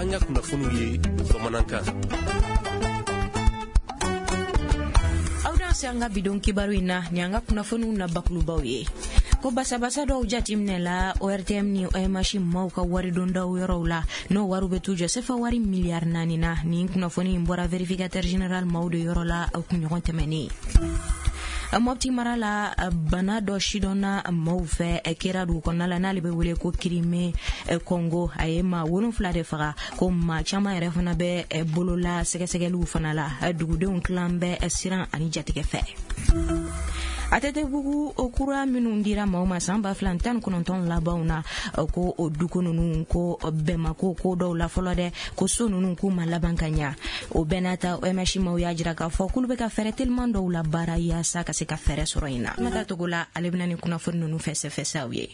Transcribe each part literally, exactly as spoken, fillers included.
N'an ka kunnafoniw ye bamanankan. Aw danse an ka bidon kibaru in na ni an ka kunnafoniw na bakulubaw ye. Ko basabasa dɔw jateminɛ la O R T M ni O M H maaw ka waridondaw yɔrɔw la, n'o wariw bɛ t'u jɔ sefa wari miliyari naani na. Nin kunnafoni in bɔra vérificateur général maaw de yɔrɔ la kunɲɔgɔn tɛmɛnen. Mopti mara la, bana dɔ sidɔnna maaw fɛ kɛra dugu kɔnɔna la n'ale bɛ wele ko Crimée Congo. A ye maa wolonfila de faga, ko maa caman yɛrɛ fana bɛ bolola sɛgɛsɛgɛliw fana la. Dugudenw tilan bɛ siran ani jatigɛ fɛ. A T T bugu o kura minnu dira maaw ma san ba fila tan ni kɔnɔntɔn labanw na, ko o dugu ninnu ko bɛnmako ko dɔw la fɔlɔ dɛ, ko so ninnu k'u ma laban ka ɲa. O bɛɛ n'a ta O M H maaw y'a jira k'a fɔ k'olu bɛ ka fɛɛrɛ teliman dɔw la baara yaasa ka se ka fɛɛrɛ sɔrɔ in na. Mata Togola ale bɛna nin kunnafoni ninnu fɛsɛfɛsɛ aw ye.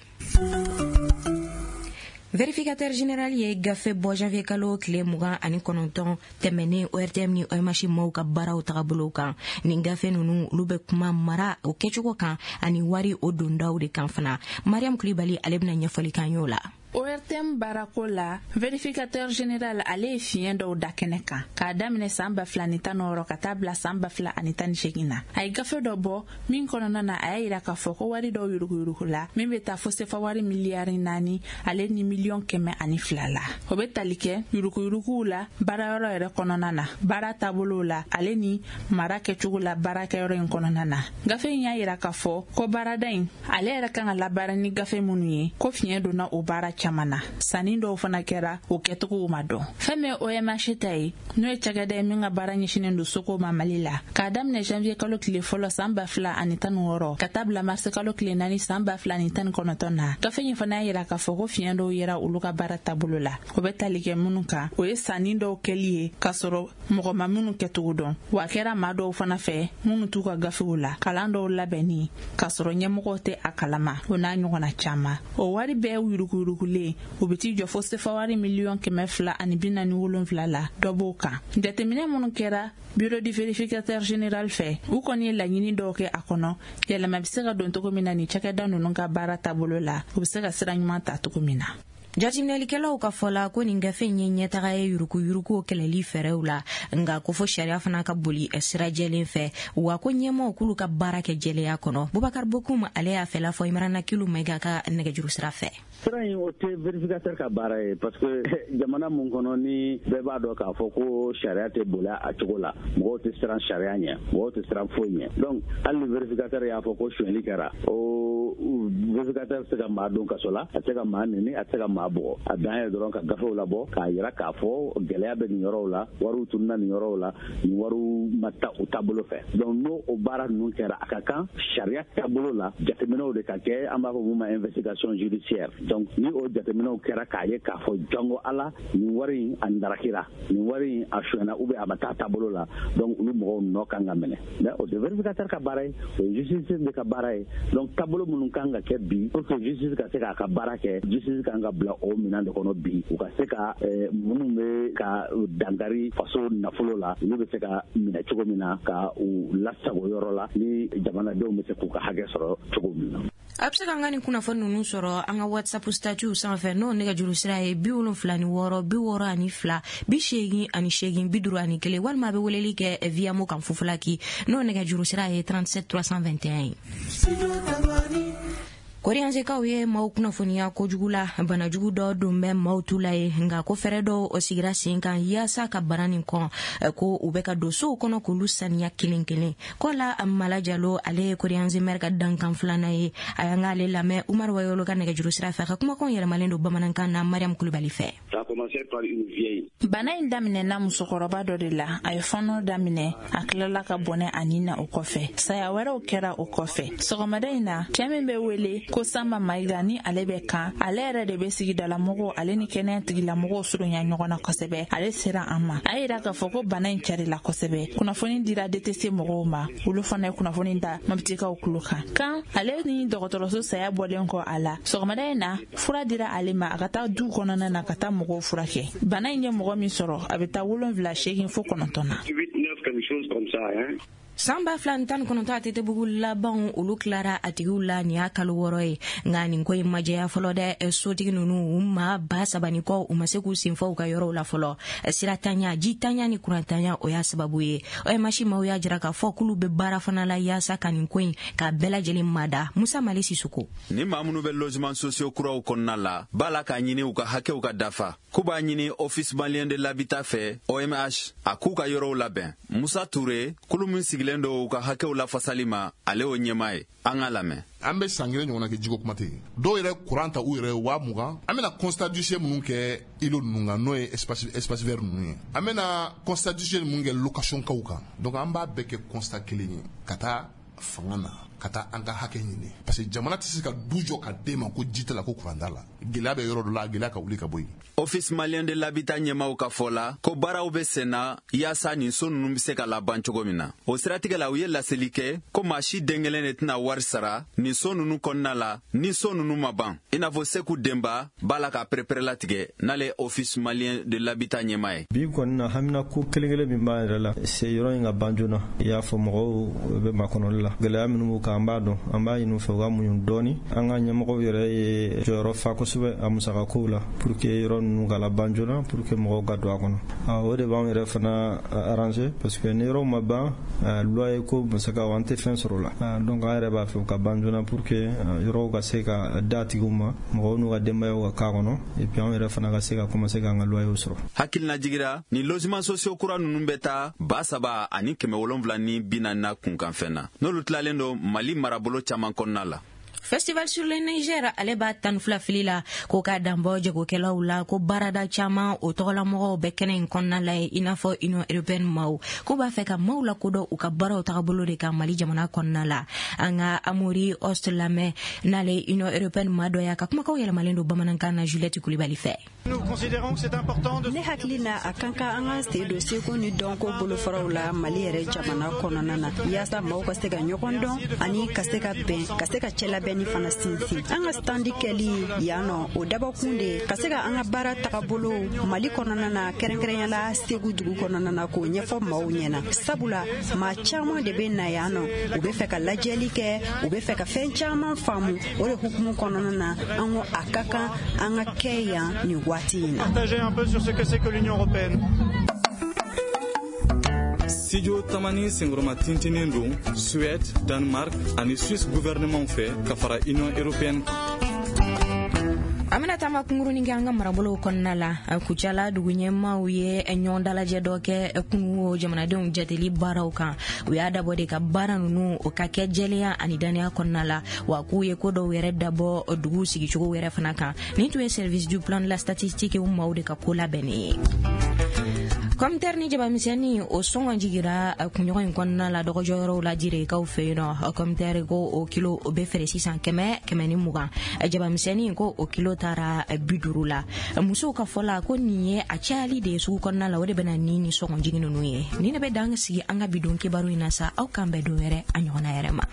Vérificateur général ye gafe bɔ janvier kalo tile mugan ani kɔnɔntɔn tɛmɛnen O R T M ni O M H maaw ka baaraw tagabolow kan. Nin gafe ninnu olu bɛ kuma mara o kɛcogo kan ani wari o dondaw de kan fana. Mariam Kulibali ale bɛna ɲɛfɔli k'an y'o la. O R T M baarako la, vérificateur général ale ye fiɲɛ dɔw da kɛnɛ kan k'a daminɛ san ba fila ni tan ni wɔɔrɔ ka taa bila san ba fila ani tan ni seegin na. A ye gafe dɔ bɔ min kɔnɔna na a y'a yira k'a fɔ ko wari dɔw yuruguyurugu la min bɛ taa fo sefa wari miliyari naani ale ni miliyɔn kɛmɛ ani fila la. O bɛ tali kɛ yuruguyuruguw la baarayɔrɔ yɛrɛ kɔnɔna na, baara taabolow la ale ni mara kɛcogo la baarakɛyɔrɔ in kɔnɔna na. Gafe in y'a yira k'a fɔ ko baarada in ale yɛrɛ kan ka labaara ni gafe minnu ye, ko fiɲɛ donna o baara caman na. Sanni dɔw fana kɛra o kɛcogow ma dɔn. Fɛn min ye O M H ta ye, n'o ye cakɛda ye min ka baara ɲɛsinnen don soko ma Mali la, k'a daminɛ janvier kalo tile fɔlɔ san ba fila ani tan ni wɔɔrɔ ka taa bila marisi kalo tile naani san ba fila ani tan ni kɔnɔntɔn na. Gafe in fana y'a yira k'a fɔ ko fiɲɛ dɔw yera olu ka baara taabolo la. O bɛ tali kɛ minnu kan, o ye sanni dɔw kɛli ye k'a sɔrɔ mɔgɔ ma minnu kɛcogo dɔn, wa a kɛra maa dɔw fana fɛ minnu t'u ka gafew la, kalan dɔw labɛnni k'a sɔrɔ ɲɛmɔgɔw tɛ a kalama, o n'a ɲɔgɔnna caman. O wari bɛɛ yuruguyurugu o bɛ t'i jɔ fo sefa wari miliyɔn kɛmɛ fila ani bi naani wolonfila la, dɔ b'o kan. Jateminɛ minnu kɛra bureau du vérificateur général fɛ, u kɔni ye laɲini dɔw kɛ a kɔnɔ, yɛlɛma bɛ se ka don cogo min na nin cakɛda ninnu ka baara taabolo la, u bɛ se ka sira ɲuman ta cogo min na. Jateminɛlikɛlaw ka fɔ la ko nin gafe in ye ɲɛtaga ye yuruguyurugu kɛlɛli fɛɛrɛw la, nka ko fo sariya fana ka boli sira jɛlen fɛ, wa ko ɲɛmaaw k'olu ka baara kɛ jɛlenya kɔnɔ. Bubakar Bokum ale y'a fɛla fɔ Imrana Kilu Mayiga ka nɛgɛjuru sira fɛ. Sira in o tɛ vérificateur ka baara ye, parce que jamana mun kɔnɔ ni bɛɛ b'a dɔn k'a fɔ ko sariya tɛ boli a cogo la, mɔgɔw tɛ siran sariya ɲɛ, mɔgɔw tɛ siran foyi ɲɛ. Donc hali ni vérificateur y'a fɔ ko sonyɛli kɛra, o vérificateur tɛ se ka maa don kaso la, a tɛ se ka maa nɛni, a tɛ se ka maa bugɔ. A dan ye dɔrɔn ka gafew labɔ k'a yira k'a fɔ gɛlɛya bɛ nin yɔrɔw la, wariw tununna nin yɔrɔw la, nin wariw ma taa u taabolo fɛ. Donc n'o o baara ninnu kɛra, a ka kan sariya taabolo la jateminɛw de ka kɛ, an b'a fɔ mun ma investigation judiciaire. Donc ni o jateminɛw kɛra k'a ye k'a fɔ jango ala nin wari in a ndarakira, nin wari in a sonyɛna ou bien a ma taa taabolo la, donc olu mɔgɔw nɔ kan ka minɛ. Mais o tɛ vérificateur ka baara ye, o ye justice de ka baara ye. Donc taabolo minnu kan ka kɛ bi pour que justice ka se k'a ka baara kɛ, justice kan ka bila o minɛn de kɔnɔ bi, u ka se ka minnu bɛ ka dankari faso nafolo la, olu bɛ se ka minɛ cogo min na, ka u lasago yɔrɔ la ni jamanadenw bɛ se k'u ka hakɛ sɔrɔ cogo min na. A bɛ se k'an ka nin kunnafoni ninnu sɔrɔ an ka WhatsApp statut sanfɛ, n'o nɛgɛjuru sira ye bi wolonfila ni wɔɔrɔ bi wɔɔrɔ ani fila bi seegin ani seegin bi duuru ani kelen, walima a bɛ weleli kɛ via mo kan fufulaki, n'o nɛgɛjuru sira ye trente-sept trois cent vingt et un ye. Koriyansekaw ye maaw kunnafoniya kojugu la, banajugu dɔ don bɛ maaw tu la ye, nka ko fɛɛrɛ dɔw sigira sen kan yaasa ka bana nin kɔn, ko u bɛ ka don sow kɔnɔ k'olu saniya kelen kelen. Ko la Mala Jalo ale ye Koriyanse mɛri ka dankan filanan ye, a y'an k'ale lamɛn Umaru Wayolo ka nɛgɛjuru sira fɛ, a ka kumakanw yɛlɛmalen don bamanankan na Mariam Kulibali fɛ. Bana in daminɛna musokɔrɔba dɔ de la, a ye fɔɔnɔ daminɛ, a tilala ka bɔnɛ a nin na o kɔfɛ. Saya wɛrɛw kɛra o kɔfɛ. Sɔgɔmada in na, cɛ min bɛ wele ko Samba Mayiga ni ale bɛ kan, ale yɛrɛ de bɛ sigidalamɔgɔw ale ni kɛnɛya tigilamɔgɔw surunya ɲɔgɔn na kosɛbɛ. Ale sera an ma, a yira k'a fɔ ko bana in carila kosɛbɛ. Kunnafoni dira D T C mɔgɔw ma, olu fana ye kunnafoni da Moptikaw tulo kan. Kan ale ni dɔgɔtɔrɔso saya bɔlen kɔ a la, sɔgɔmada in na fura dira ale ma a ka taa du kɔnɔna na ka taa mɔgɔw furakɛ. Bana in ye mɔgɔ min sɔrɔ, a bɛ taa wolonwula seegin fo kɔnɔntɔn na. San ba fila ni tan ni kɔnɔntɔn A T T bugu labanw, olu tilara a tigiw la nin y'a kalo wɔɔrɔ ye, nka nin ko in ma jɛya fɔlɔ dɛ. Sotigi ninnu, u maa ba saba ni kɔ, u ma se k'u senfɔ u ka yɔrɔw la fɔlɔ. Siratanya, jitanya ni kurantanya, o y'a sababu ye. O M H maaw y'a jira k'a fɔ k'olu bɛ baara fana la yaasa ka nin ko in k'a bɛɛ lajɛlen mada. Musa Mali Sisoko. Ni maa minnu bɛ logement sociaux kuraw kɔnɔna la, b'a la k'a ɲini u ka hakɛw ka dafa, k'u b'a ɲini Office malien de l'habitat fɛ, O M H, a k'u ka yɔrɔw labɛn. Musa Ture, kulu min sigilen don u ka hakɛw lafasali ma, ale y'o ɲɛmaa ye. An k'a lamɛn. An bɛ san kelen ɲɔgɔnna kɛ, jiko kuma tɛ yen. Dɔw yɛrɛ kuran ta u yɛrɛ ye waa mugan. An bɛna constat d'huissier minnu kɛ îlot ninnu kan, n'o ye espace espace vert ninnu ye, an bɛna constat d'huissier minnu kɛ location kaw kan. Donc an b'a bɛɛ kɛ constat kelen ye ka taa fanga na, ka taa an ka hakɛ ɲini, parce que jamana tɛ se ka du jɔ ka d'e ma ko ji t'a la, ko kuran t'a la. Gɛlɛya bɛ yɔrɔ dɔ la, gɛlɛya ka wuli ka bɔ yen. Office malien de l'habitat ɲɛmaw ka fɔ la ko baaraw bɛ senna yaasa nin so ninnu bɛ se ka laban cogo min na. O siratigɛ la, u ye laseli kɛ ko maa si den kelen de tɛna wari sara nin so ninnu kɔnɔna la ni so ninnu ma ban, i n'a fɔ Seku Denba b'a la k'a perepere n'ale ye Office malien de l'habitat ɲɛma ye. Bi kɔni na, hamina ko kelen kelen min b'an yɛrɛ la, se yɔrɔ in ka ban joona. I y'a fɔ, mɔgɔw bɛ makɔnɔli la, gɛlɛya minnu b'u kan, an b'a dɔn. An b'a ɲini u fɛ u ka muɲu dɔɔni. An ka ɲɛmɔgɔw yɛrɛ ye jɔyɔrɔ fa kosɛbɛ a musakakow la pour que yɔrɔ ninnu ka laban joona, pour que mɔgɔw ka don a kɔnɔ. O de b'anw yɛrɛ fana arranger, parce que ni yɔrɔw ma ban, loyer ko musakaw, an tɛ fɛn sɔrɔ o la. Donc an yɛrɛ b'a fɛ u ka ban joona pour que yɔrɔw ka se ka da tigiw ma, mɔgɔw n'u ka denbayaw ka k'a kɔnɔ, et puis anw yɛrɛ fana ka se ka commencer k'an ka loyer sɔrɔ. Hakilina jigira, ni logement sociaux kura ninnu bɛ taa ba saba ani kɛmɛ wolonfila ni bi naani na kunkanfɛn na, n'olu tilalen don Mali marabolo caman kɔnɔna la. Festival sur le Niger, ale b'a tan fila fili la ko k'a danbɔ jagokɛlaw la, ko baarada caman o tɔgɔlamɔgɔw bɛ kɛnɛ in kɔnɔna la ye, i n'a fɔ Union européenne maaw k'u b'a fɛ ka maaw lakodɔn u ka baaraw tagabolo de kan Mali jamana kɔnɔna la. An ka Amori Ost lamɛn, n'ale Union européenne maa dɔ ye, a ka kumakaw yɛlɛmalen don bamanankan na Juliette Kulibali fɛ. Ne hakili na, a kan ka an ka sen don seko ni dɔnko bolofaraw la Mali yɛrɛ jamana kɔnɔna na, yaasa maaw ka se ka ɲɔgɔn dɔn ani ka se ka bɛn, ka se ka cɛlabɛnni fana sinsin. An ka standi kɛli yan nɔ, o dabɔkun de ka se ka an ka baara tagabolo Mali kɔnɔna na, kɛrɛnkɛrɛnyala Segu dugu kɔnɔna na, k'o ɲɛfɔ maaw ɲɛna, sabula maa caman de bɛ na yan nɔ, u bɛ fɛ ka lajɛli kɛ, u bɛ fɛ ka fɛn caman faamu. O de hukumu kɔnɔna na, an ko a ka kan an ka kɛ yan nin waati in na. Studio Tamani senkɔrɔma tintinen don Suède, Danemark ani Suisse gouvernement fɛ ka fara Union européenne kan. An bɛna taama kunkurunin kɛ an ka marabolow kɔnɔna la. Kucala dugu ɲɛmaw ye ɲɔgɔn dalajɛ dɔ kɛ kunun jamanadenw jateli baaraw kan. U y'a dabɔ de ka baara ninnu o ka kɛ jɛlenya ani dannaya kɔnɔna la, wa k'u ye ko dɔw yɛrɛ dabɔ dugu sigicogo yɛrɛ fana kan. Nin tun ye Service du plan de la statistique maaw de ka ko labɛnnen ye. Kɔmitɛri ni jabamisɛnni, o sɔngɔ jigira kunɲɔgɔn in kɔnɔna la dɔgɔjɔyɔrɔw la Jirekaw fɛ yen nɔ. Kɔmitɛri ko o kilo o bɛ feere sisan kɛmɛ kɛmɛ ni mugan, jabamisɛnni ko o kilo taara bi duuru la. Musow ka fɔ la ko nin ye a cayali de ye sugu kɔnɔna la, o de bɛna ni ni sɔngɔ jigin ninnu ye. Nin de bɛ dan sigi an ka bidon kibaru in na sa. Aw k'an bɛn don wɛrɛ a ɲɔgɔnna yɛrɛ ma.